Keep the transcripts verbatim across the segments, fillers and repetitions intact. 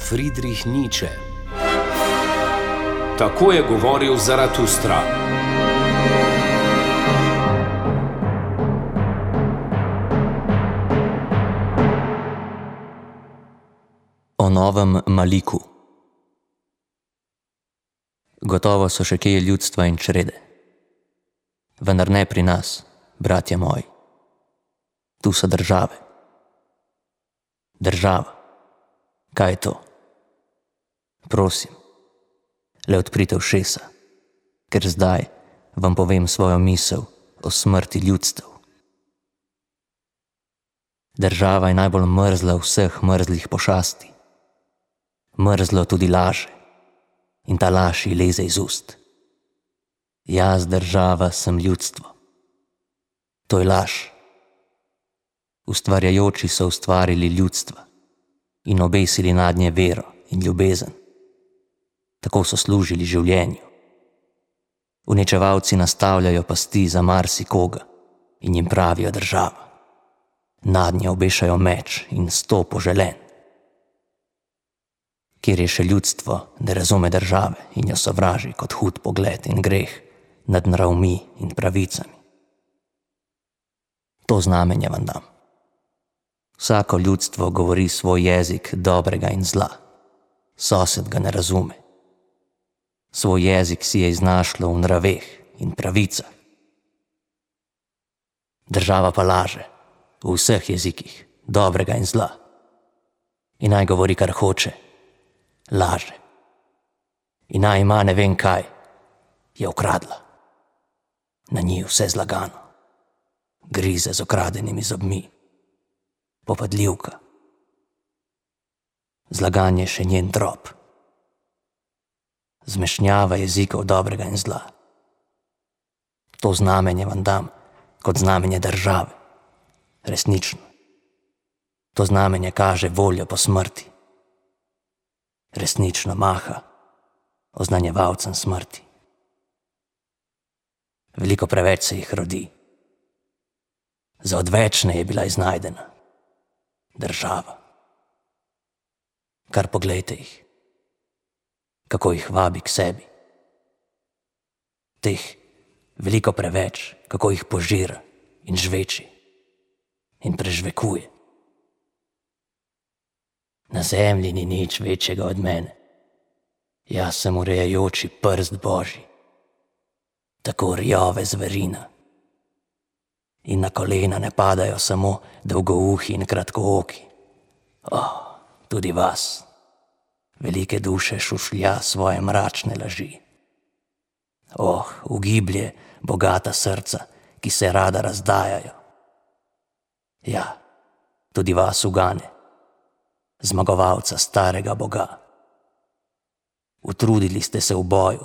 Friedrich Nietzsche. Tako je govoril Zaratustra. O novem Maliku. Gotovo so še kje ljudstva in črede. Vendar ne pri nas, bratje moji. Tu so države. Država. Kaj je to? Prosim, le odprite ušesa, ker zdaj vam povem svojo misel o smrti ljudstev. Država je najbolj mrzla vseh mrzlih pošasti. Mrzlo tudi laže in ta laž ji leze iz ust. Jaz, država, sem ljudstvo. To je laž. Ustvarjajoči so ustvarili ljudstva in obesili nadnje vero in ljubezen. Tako so služili življenju. Uničevalci nastavljajo pasti za marsikoga in jim pravijo država. Nadnje obešajo meč in sto poželen. Kjer je še ljudstvo, ne razume države in jo sovraži kot hud pogled in greh nad nravmi in pravicami. To znamenje vam dam. Vsako ljudstvo govori svoj jezik dobrega in zla. Sosed ga ne razume. Svoj jezik si je iznašlo v nraveh in pravicah. Država pa laže v vseh jezikih dobrega in zla. In naj govori, kar hoče, laže. In naj ima ne vem kaj, je ukradla. Na njih vse zlagano. Grize z okradenimi zobmi. Popadljivka. Zlaganje še njen drop. Zmešnjava jezikov dobrega in zla. To znamenje vam dam kot znamenje države. Resnično. To znamenje kaže voljo po smrti. Resnično maha oznanjevalcem smrti. Veliko preveč se jih rodi. Za odvečne je bila iznajdena. Država. Kar poglejte jih, kako jih vabi k sebi. Teh veliko preveč, kako jih požira in žveči in prežvekuje. Na zemlji ni nič večjega od mene. Jaz sem urejajoči prst Božji, tako rjove zverina. In na kolena ne padajo samo dolgouhi in kratkooki. Oh, tudi vas, velike duše, šušlja svoje mračne laži. Oh, ugiblje bogata srca, ki se rada razdajajo. Ja, tudi vas ugane, zmagovalca starega Boga. Utrudili ste se v boju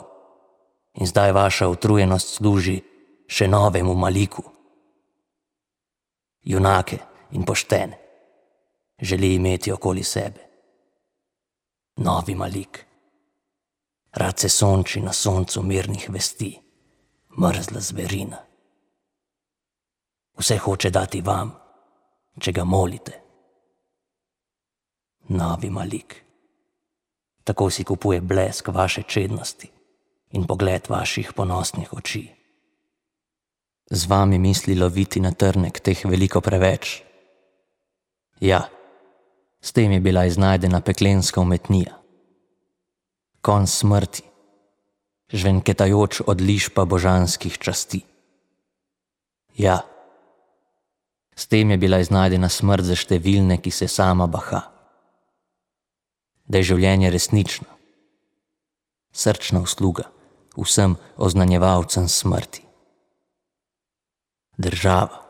in zdaj vaša utrujenost služi še novemu Maliku. Junake in poštene želi imeti okoli sebe. Novi Malik. Rad se sonči na soncu mirnih vesti, mrzla zverina. Vse hoče dati vam, če ga molite. Novi Malik. Tako si kupuje blesk vaše čednosti in pogled vaših ponosnih oči. Z vami misli loviti na trnek teh veliko preveč. Ja, s tem je bila iznajdena peklenska umetnija. Konj smrti, žvenketajoč od lišpa božanskih časti. Ja, s tem je bila iznajdena smrt za številne, ki se sama baha. Da je življenje resnično, srčna usluga vsem oznanjevalcem smrti. Država.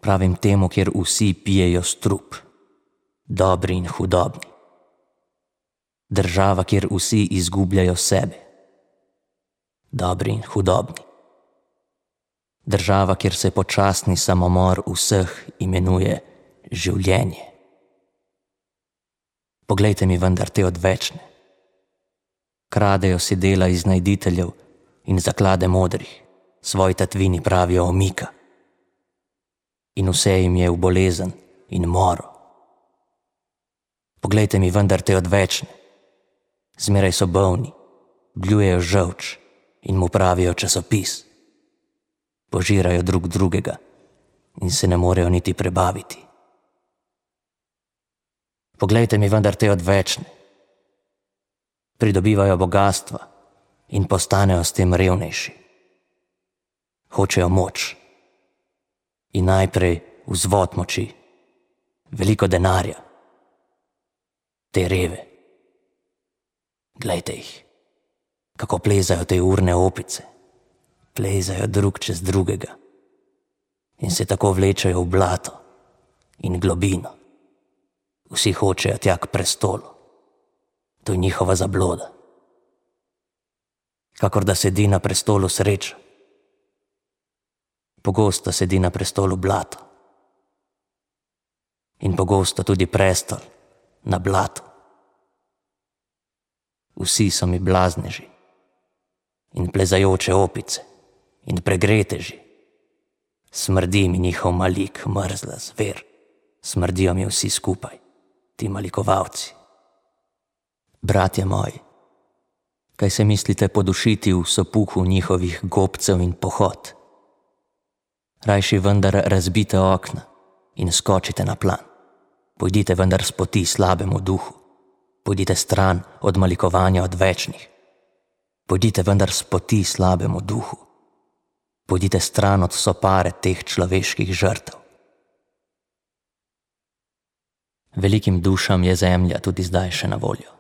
Pravim temu, kjer vsi pijejo strup, dobri in hudobni. Država, kjer vsi izgubljajo sebe, dobri in hudobni. Država, kjer se počasni samomor vseh imenuje življenje. Poglejte mi vendar te odvečne. Kradejo si dela iznajditeljev in zaklade modrih. Svoj tatvini pravijo omika. In vse jim je v bolezen in moro. Poglejte mi vendar te odvečne. Zmeraj so bolni, bljujejo žolč in mu pravijo časopis. Požirajo drug drugega in se ne morejo niti prebaviti. Poglejte mi vendar te odvečne. Pridobivajo bogastva in postanejo s tem revnejši. Hočejo moč in najprej vzvod moči, veliko denarja. Te reve. Glejte jih, kako plezajo te urne opice. Plezajo drug čez drugega in se tako vlečejo v blato in globino. Vsi hočejo tja k prestolu. To je njihova zabloda. Kakor da sedi na prestolu sreča. Pogosto sedi na prestolu blato. In pogosto tudi prestol na blatu. Vsi so mi blazneži in plezajoče opice in pregreteži. Smrdi mi njihov malik, mrzla zver. Smrdijo mi vsi skupaj, ti malikovalci. Bratje moji, kaj se mislite podušiti v sopuhu njihovih gobcev in pohod? Rajši vendar razbite okna in skočite na plan. Pojdite vendar s poti slabemu duhu. Pojdite stran od malikovanja odvečnih. Pojdite vendar s poti slabemu duhu. Pojdite stran od sopare teh človeških žrtev. Velikim dušam je zemlja tudi zdaj še na voljo.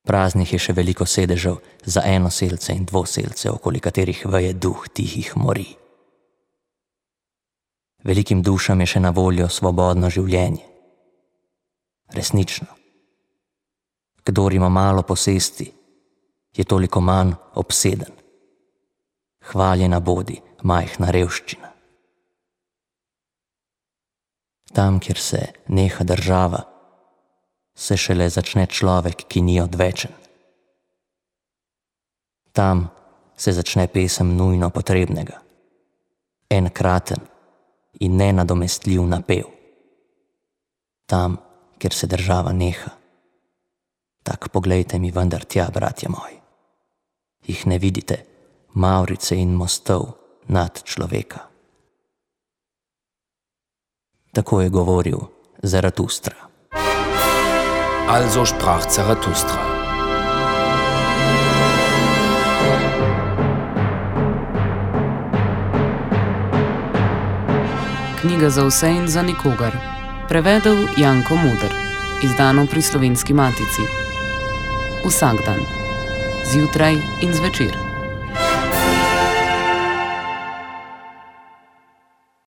Praznih je še veliko sedežev za enoselce in dvoselce, okoli katerih veje duh tihih mori. Velikim dušam je še na voljo svobodno življenje. Resnično. Kdor ima malo posesti, je toliko manj obseden. Hvaljena bodi majhna revščina. Tam, kjer se neha država, se šele začne človek, ki ni odvečen. Tam se začne pesem nujno potrebnega. Enkraten in nenadomestljiv napev. Tam, kjer se država neha. Tak poglejte mi vendar tja, bratje moji. Jih ne vidite, mavrice in mostov nad človeka. Tako je govoril Zaratustra. Also sprach Zaratustra. Knjiga za vse in za nikogar. Prevedel Janko Muder. Izdano pri Slovenski matici. Vsak dan. Zjutraj in zvečer.